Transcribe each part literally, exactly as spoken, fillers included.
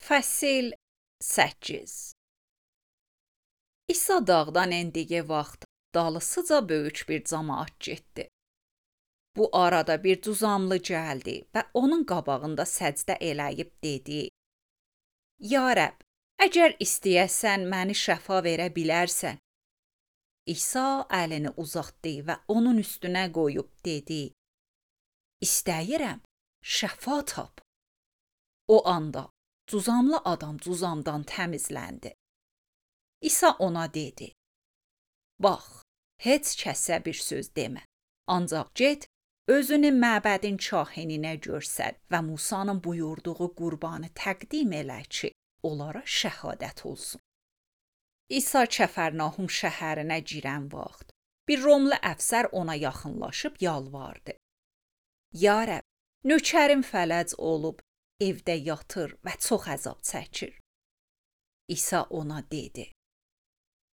Fəsil səkkiz. İsa dağdan endiyi vaxt dalısıca böyük bir camaat getdi. Bu arada bir cüzamlı gəldi və onun qabağında səcdə eləyib dedi: Ya Rəbb, əgər istəyəsən məni şəfa verə bilərsən. İsa əlini uzatdı və onun üstünə qoyub dedi: İstəyirəm, şəfa tap. O anda cüzamlı adam cüzamdan təmizləndi. İsa ona dedi: Bax, heç kəsə bir söz demə. Ancaq get, özünü məbədin kahininə göstər və Musanın buyurduğu qurbanı təqdim elə ki, onlara şəhadət olsun. İsa Kəfərnahum şəhərinə girən vaxt bir Romlu əfsər ona yaxınlaşıb yalvardı. Ya Rəbb, nökərim fələc olub, evdə yatır və çox əzab çəkir. İsa ona dedi: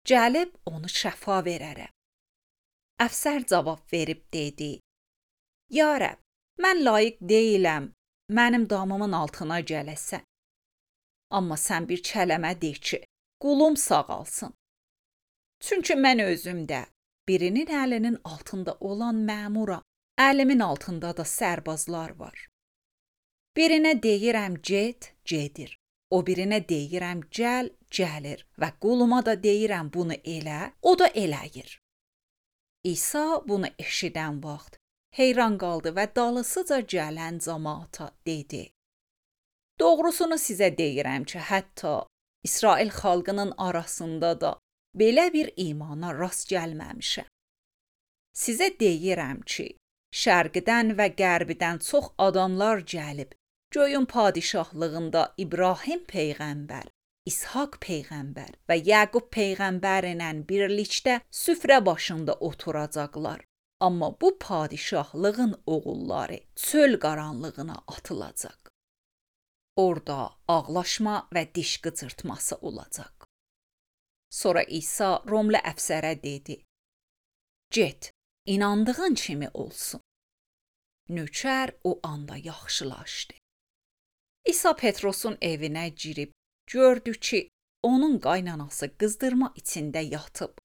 Gəlib onu şəfa verərəm. Əfsər cavab verib dedi: Ya Rəbb, mən layiq deyiləm, mənim damımın altına gələsən. Amma sən bir kələmə de ki, qulum sağalsın. Çünki mən özümdə birinin əlinin altında olan məmuram, əlimin altında da sərbazlar var. Birinə deyirəm get, gedir. O birinə deyirəm gəl, gəlir və quluma da deyirəm bunu elə, o da eləyir. İsa bunu eşidən vaxt heyran qaldı və dalısıca gələn cəmaata dedi: Doğrusunu sizə deyirəm ki, hətta İsrail xalqının arasında da belə bir imana rast gəlməmişəm. Sizə deyirəm ki, şərqdən və qərbdən çox adamlar gəlib, göyün padişahlığında İbrahim peyğəmbər, İshak peyğəmbər və Yaqub peyğəmbərlə birlikdə süfrə başında oturacaqlar. Amma bu padişahlığın oğulları çöl qaranlığına atılacaq. Orada ağlaşma və diş qıcırtması olacaq. Sonra İsa Romlu əfsərə dedi: Get, inandığın kimi olsun. Nökər o anda yaxşılaşdı. İsa Petrosun evinə girib gördü ki, onun qaynanası qızdırma içində yatıb.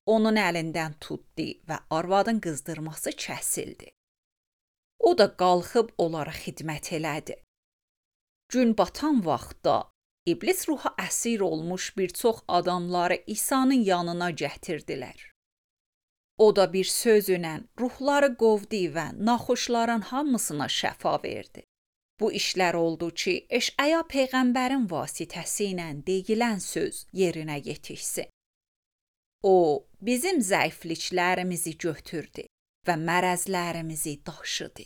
Onun əlindən tutdu və arvadın qızdırması kəsildi. O da qalxıb onlara xidmət elədi. Gün batan vaxtda iblis ruha əsir olmuş bir çox adamları İsa'nın yanına gətirdilər. O da bir sözlə ruhları qovdu və naxoşların hamısına şəfa verdi. Bu işlər oldu ki, Eşaya peyğəmbərin vasitəsilə deyilən söz yerinə yetişsin. O, bizim zəifliklərimizi götürdü və mərəzlərimizi daşıdı.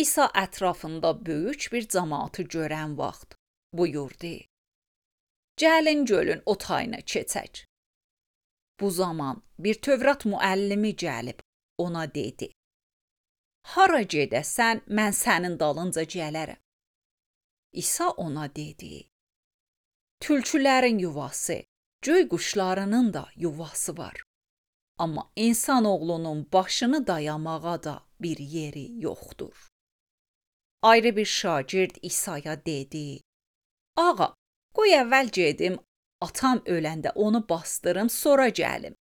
İsa ətrafında böyük bir cəmaatı görən vaxt buyurdu: Gəlin gölün o tayına keçək. Bu zaman bir Tövrat müəllimi gəlib ona dedi: Hara gedəsən, mən sənin dalınca gələrəm. İsa ona dedi: Tülkülərin yuvası, göy quşlarının da yuvası var. Amma insan oğlunun başını dayamağa da bir yeri yoxdur. Ayrı bir şagird İsa'ya dedi: Ağa, qoy əvvəl gedim, atam öləndə onu bastırım, sonra gəlim.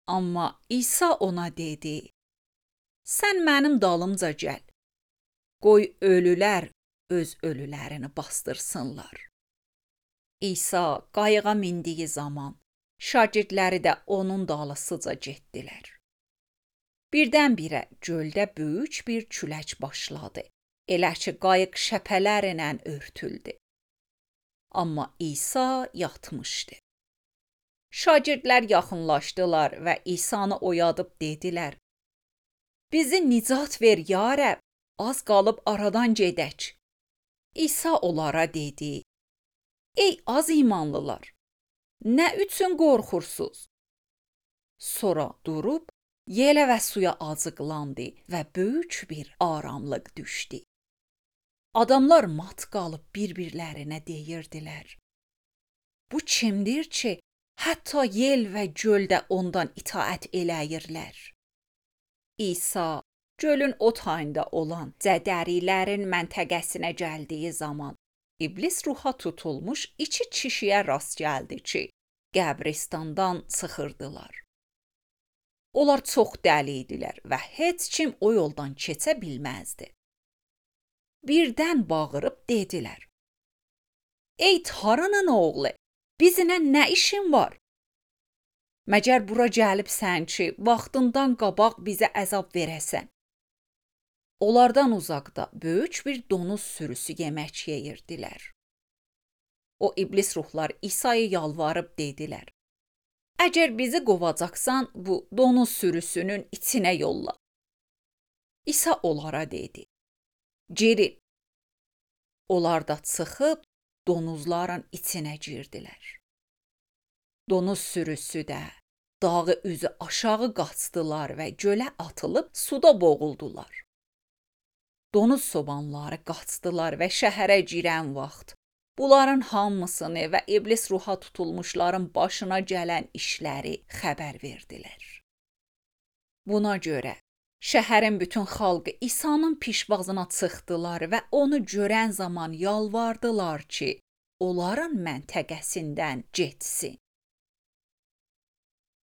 Amma İsa ona dedi: Sən mənim dalımca gəl. Qoy ölülər öz ölülərini bastırsınlar. İsa qayığa mindiyi zaman şagirdləri də onun dalısıca getdilər. Birdən-birə göldə böyük bir külək başladı. Elə ki, qayıq şəpələrlə örtüldü. Amma İsa yatmışdı. Şagirdlər yaxınlaşdılar və İsa'nı oyadıb dedilər: Bizi nicat ver, ya Rəbb, az qalıb aradan gedək. İsa onlara dedi: Ey az imanlılar, nə üçün qorxursuz? Sonra durub yelə və suya acıqlandı və böyük bir aramlıq düşdü. Adamlar mat qalıb bir-birlərinə deyirdilər: Bu kimdir ki, hətta yel və göldə ondan itaət eləyirlər? İsa gölün o tayında olan Cədərilərin məntəqəsinə gəldiyi zaman İblis ruha tutulmuş iki kişiyə rast gəldi ki, qəbristandan çıxırdılar. Onlar çox dəli idilər və heç kim o yoldan keçə bilməzdi. Birdən bağırıb dedilər: "Ey Taranın oğlu, bizimlə nə işin var? Məgər bura gəlibsən ki, vaxtından qabaq bizə əzab verəsən?" Onlardan uzaqda böyük bir donuz sürüsü yemək yeyirdilər. O iblis ruhlar İsa'ya yalvarıb dedilər: "Əgər bizi qovacaqsan, bu donuz sürüsünün içinə yolla." İsa onlara dedi: "Girin." Onlar da çıxıb donuzların içinə girdilər. Donuz sürüsü də dağı üzü aşağı qaçdılar və gölə atılıb suda boğuldular. Donuz çobanları qaçdılar və şəhərə girən vaxt bunların hamısını və iblis ruha tutulmuşların başına gələn işləri xəbər verdilər. Buna görə şəhərin bütün xalqı İsa'nın pişvazına çıxdılar və onu görən zaman yalvardılar ki, onların məntəqəsindən getsin.